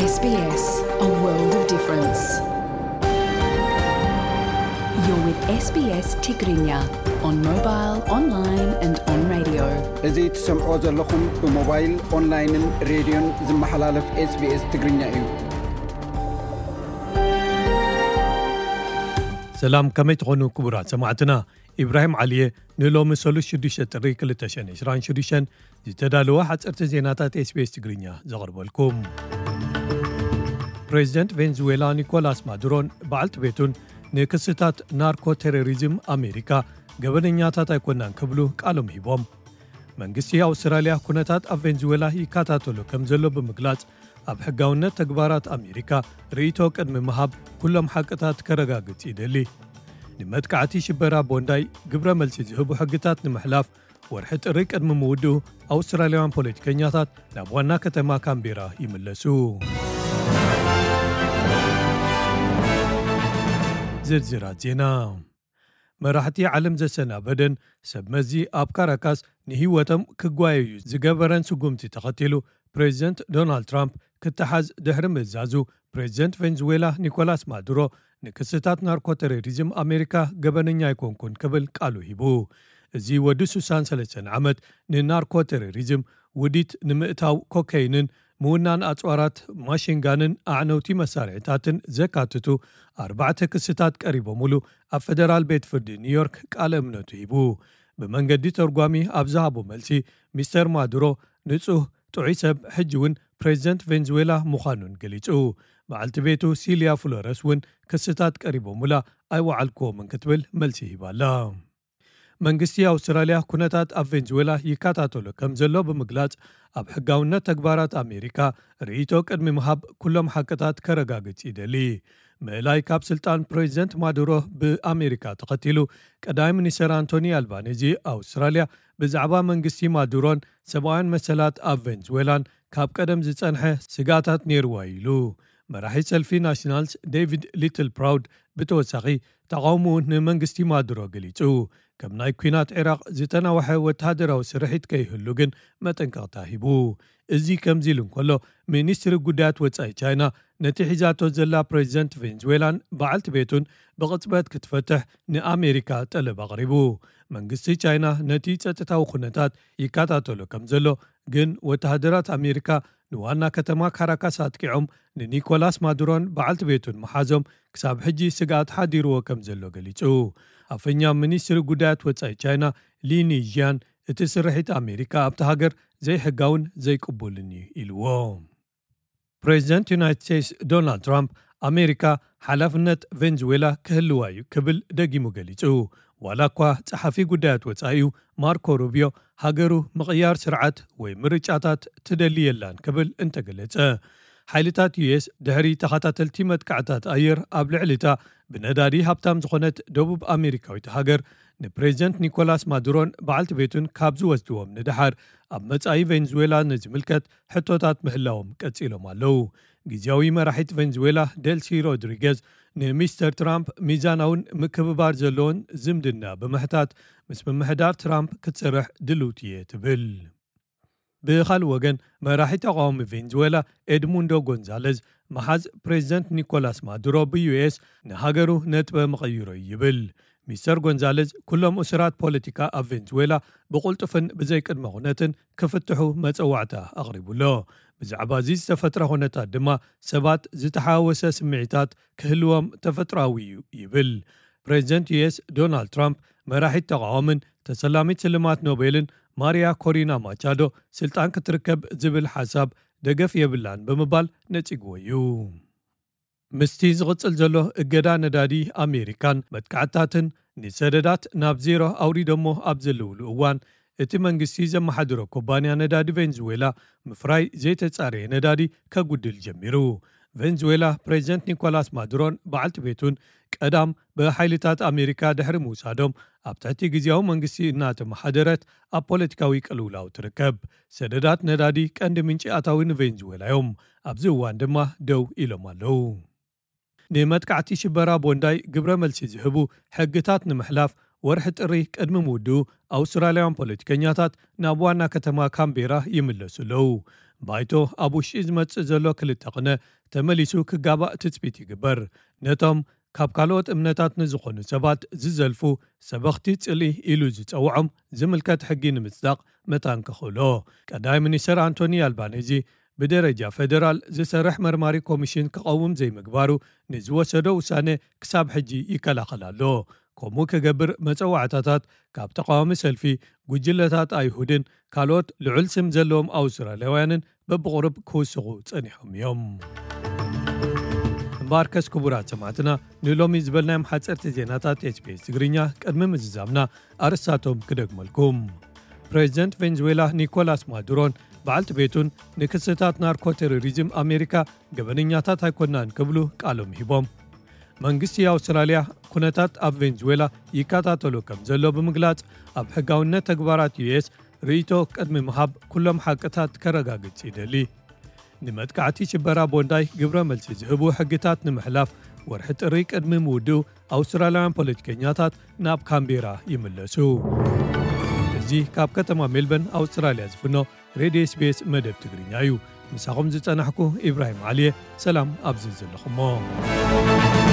S B S, a world of difference. You're with S B S Tigrinya on mobile, online and on radio. እዚ ትሰምዖ ዘለኹም ብሞባይል፣ ኦንላይንን ሬድዮን ዝመሓላለፍ SBS ትግርኛ እዩ። ሰላም፣ ከመይ ትኾኑ ክቡራት ሰማዕትና? ኢብራሂም ዓሊየ ንሎሚ ሰሉስ ሽዱሽተ ጥሪ ክልተ ሽሕን ዕስራን ሽዱሽተን ዝተዳለወ ሓፀርቲ ዜናታት SBS ትግርኛ ዘቕርበልኩም። ፕሬዚደንት ቬንዙዌላ ኒኮላስ ማዱሮን በዓልቲ ቤቱን ንክስታት ናርኮ ቴሮሪዝም ኣሜሪካ ገበነኛታት ኣይኮናን ክብሉ ቃሎም ሂቦም። መንግስቲ ኣውስትራልያ ኩነታት ኣብ ቬንዙዌላ ይከታተሎ ከም ዘሎ ብምግላጽ፣ ኣብ ሕጋውነት ተግባራት ኣሜሪካ ርእይቶ ቅድሚ ምሃብ ኩሎም ሓቅታት ከረጋግጽ ይደሊ። ንመጥቃዕቲ ሽበራ ቦንዳይ ግብረ መልሲ ዝህቡ ሕግታት ንምሕላፍ ወርሒ ጥሪ ቅድሚ ምውድኡ ኣውስትራልያውያን ፖለቲከኛታት ናብ ዋና ከተማ ካምቤራ ይምለሱ። ዝርዝራት ዜና። መራሕቲ ዓለም ዘሰናበደን ሰብ መዚ ኣብ ካራካስ ንህይወቶም ክጓየዩ ዝገበረን ስጉምቲ ተኸቲሉ፣ ፕሬዚደንት ዶናልድ ትራምፕ ክተሓዝ ድሕሪ ምእዛዙ፣ ፕሬዚደንት ቬንዙዌላ ኒኮላስ ማዱሮ ንክስታት ናርኮ ቴሮሪዝም ኣሜሪካ ገበነኛ ኣይኮንኩን ክብል ቃሉ ሂቡ። እዚ ወዲ ሱሳን ሰለስተን ዓመት ንናርኮ ቴሮሪዝም ውዲት ንምእታው ኮከይንን ምውናን ኣጽዋራት ማሽንጋንን ኣዕነውቲ መሳርሒታትን ዘካትቱ ኣርባዕተ ክስታት ቀሪቦምሉ ኣብ ፈደራል ቤት ፍርዲ ኒውዮርክ ቃለ እምነቱ ሂቡ። ብመንገዲ ተርጓሚ ኣብ ዝሃቦ መልሲ፣ ሚስተር ማዱሮ ንጹህ ጥዑይ ሰብ፣ ሕጂ እውን ፕሬዚደንት ቬንዙዌላ ምዃኑን ገሊጹ። በዓልቲ ቤቱ ሲልያ ፍሎረስ እውን ክስታት ቀሪቦምላ ኣይወዓልክዎምን ክትብል መልሲ ሂባላ። መንግስቲ ኣውስትራልያ ኩነታት ኣብ ቬንዙዌላ ይከታተሎ ከም ዘሎ ብምግላጽ፣ ኣብ ሕጋውነት ተግባራት ኣሜሪካ ርእይቶ ቅድሚ ምሃብ ኩሎም ሓቅታት ከረጋግጽ ይደሊ። ምእላይ ካብ ስልጣን ፕሬዚደንት ማዱሮ ብኣሜሪካ ተኸቲሉ፣ ቀዳማይ ሚኒስተር ኣንቶኒ ኣልባኒዚ ኣውስትራልያ ብዛዕባ መንግስቲ ማዱሮን ሰብኣውያን መሰላት ኣብ ቬንዙዌላን ካብ ቀደም ዝጸንሐ ስጋታት ነይርዋ ኢሉ። መራሒ ሰልፊ ናሽናልስ ዴቪድ ሊትል ፕራውድ ብተወሳኺ ተቓውሞኡ ንመንግስቲ ማዱሮ ገሊጹ። ከም ናይ ኲናት ዒራቕ ዝተናውሐ ወተሃደራዊ ስርሒት ከይህሉ ግን መጠንቀቕታ ሂቡ። እዚ ከምዚ ኢሉ እንከሎ፣ ሚኒስትሪ ጉዳያት ወጻኢ ቻይና ነቲ ሒዛቶ ዘላ ፕሬዚደንት ቬንዙዌላን በዓልቲ ቤቱን ብቕጽበት ክትፈትሕ ንኣሜሪካ ጠለብ ኣቕሪቡ። መንግስቲ ቻይና ነቲ ጸጥታዊ ኩነታት ይከታተሎ ከም ዘሎ፣ ግን ወተሃደራት ኣሜሪካ ንዋና ከተማ ካራካስ ኣጥቂዖም ንኒኮላስ ማዱሮን በዓልቲ ቤቱን ምሓዞም ክሳብ ሕጂ ስግኣት ሓዲርዎ ከም ዘሎ ገሊጹ። ኣፈኛ ሚኒስትሪ ጉዳያት ወጻኢ ቻይና ሊኒ ዥያን፣ እቲ ስርሒት ኣሜሪካ ኣብቲ ሃገር ዘይሕጋውን ዘይቅቡልን እዩ ኢልዎ። ፕሬዚደንት ዩናይትድ ስቴትስ ዶናልድ ትራምፕ፣ ኣሜሪካ ሓላፍነት ቬንዙዌላ ክህልዋ እዩ ክብል ደጊሙ ገሊጹ። ዋላ እኳ ጸሓፊ ጉዳያት ወጻኢኡ ማርኮ ሩቢዮ ሃገሩ ምቕያር ስርዓት ወይ ምርጫታት ትደሊ የላን ክብል እንተገለጸ፣ ሓይልታት ዩ ኤስ ድሕሪ ተኸታተልቲ መጥቃዕታት ኣየር ኣብ ልዕሊታ ብነዳዲ ሃብታም ዝኾነት ደቡብ ኣሜሪካዊት ሃገር ንፕሬዚደንት ኒኮላስ ማዱሮን በዓልቲ ቤቱን ካብ ዝወስድዎም ንደሓር፣ ኣብ መጻኢ ቬንዙዌላ ንዝምልከት ሕቶታት ምህላዎም ቀጺሎም ኣለዉ። ግዝያዊ መራሒት ቬንዙዌላ ዴልሲ ሮድሪገዝ ንሚስተር ትራምፕ ሚዛናውን ምክብባር ዘለዎን ዝምድና ብምሕታት፣ ምስ ምምሕዳር ትራምፕ ክትሰርሕ ድልውቲ እየ ትብል። ብኻልእ ወገን፣ መራሒ ተቓዋሚ ቬንዙዌላ ኤድሙንዶ ጎንዛለዝ፣ መሓዝ ፕሬዚደንት ኒኮላስ ማዱሮ ብዩ ኤስ ንሃገሩ ነጥበ መቐይሮ እዩ ይብል። ሚስተር ጎንዛለዝ፣ ኩሎም እሱራት ፖለቲካ ኣብ ቬንዙዌላ ብቕልጡፍን ብዘይቅድመ ኩነትን ክፍትሑ መጸዋዕታ ኣቕሪቡ ኣሎ። ብዛዕባ እዚ ዝተፈጥረ ኩነታት ድማ ሰባት ዝተሓዋወሰ ስምዒታት ክህልዎም ተፈጥሮኣዊ እዩ ይብል። ፕሬዚደንት ዩ ኤስ ዶናልድ ትራምፕ፣ መራሒት ተቓዋምን ተሰላሚት ስልማት ኖቤልን ማሪያ ኮሪና ማቻዶ ስልጣን ክትርከብ ዝብል ሓሳብ ደገፍ የብላን ብምባል ነጺግዎ እዩ። ምስቲ ዝቕጽል ዘሎ እገዳ ነዳዲ ኣሜሪካን መጥቃዕትታትን ንሰደዳት ናብ ዜሮ ኣውሪዶሞ ኣብ ዘለውሉ እዋን፣ እቲ መንግስቲ ዘመሓድሮ ኩባንያ ነዳዲ ቬንዙዌላ ምፍራይ ዘይተጻረየ ነዳዲ ከጉድል ጀሚሩ። ቬንዙዌላ ፕሬዚደንት ኒኮላስ ማዱሮን በዓልቲ ቤቱን ቀዳም ብሓይልታት ኣሜሪካ ድሕሪ ምውሳዶም፣ ኣብ ትሕቲ ግዝያዊ መንግስቲ እናተመሓደረት ኣብ ፖለቲካዊ ቅልውላው ትርከብ። ሰደዳት ነዳዲ ቀንዲ ምንጪ ኣታዊ ንቬንዙዌላ እዮም። ኣብዚ እዋን ድማ ደው ኢሎም ኣለዉ። ንመጥቃዕቲ ሽበራ ቦንዳይ ግብረ መልሲ ዝህቡ ሕግታት ንምሕላፍ ወርሒ ጥሪ ቅድሚ ምውድኡ ኣውስትራልያውያን ፖለቲከኛታት ናብ ዋና ከተማ ካምቤራ ይምለሱ ኣለዉ። ባይቶ ኣብ ውሽጢ ዝመጽእ ዘሎ ክልተ ቅነ ተመሊሱ ክጋባእ ትጽቢት ይግበር። ነቶም ካብ ካልኦት እምነታት ንዝኾኑ ሰባት ዝዘልፉ ሰበኽቲ ጽልኢ ኢሉ ዝጸውዖም ዝምልከት ሕጊ ንምጽዳቕ መታን ከኽእሎ። ቀዳማይ ሚኒስትር ኣንቶኒ ኣልባኔዚ ብደረጃ ፌደራል ዝሰርሕ መርማሪ ኮሚሽን ክቐውም ዘይምግባሩ ንዝወሰዶ ውሳነ ክሳብ ሕጂ ይከላኸል ኣሎ። ከምኡ ክገብር መጸዋዕታታት ካብ ተቃዋሚ ሰልፊ፣ ጉጅለታት ኣይሁድን ካልኦት ልዑል ስም ዘለዎም ኣውስትራልያውያንን በብቑሩብ ክውስኹ ጸኒሖም እዮም። እምበኣርከስ ክቡራት ሰማዕትና፣ ንሎሚ ዝበልናዮም ሓጸርቲ ዜናታት ኤስቢኤስ ትግርኛ ቅድሚ ምዝዛምና ኣርእስታቶም ክደግመልኩም። ፕሬዚደንት ቬንዙዌላ ኒኮላስ ማዱሮን በዓልቲ ቤቱን ንክስታት ናርኮ ቴሮሪዝም ኣሜሪካ ገበነኛታት ኣይኮናን ክብሉ ቃሎም ሂቦም። መንግስቲ ኣውስትራልያ ኩነታት ኣብ ቬንዙዌላ ይከታተሎ ከም ዘሎ ብምግላጽ፣ ኣብ ሕጋውነት ተግባራት ዩኤስ ርእይቶ ቅድሚ ምሃብ ኩሎም ሓቅታት ከረጋግጽ ይደሊ። ንመጥቃዕቲ ሽበራ ቦንዳይ ግብረ መልሲ ዝህቡ ሕግታት ንምሕላፍ ወርሒ ጥሪ ቅድሚ ምውድኡ ኣውስትራልያውያን ፖለቲከኛታት ናብ ካምቤራ ይምለሱ። እዚ ካብ ከተማ ሜልበርን ኣውስትራልያ ዝፍኖ ሬድዮ ኤስቢኤስ መደብ ትግርኛ እዩ። ምሳኹም ዝጸናሕኩ ኢብራሂም ዓሊየ። ሰላም ኣብዚ ዘለኹሞ።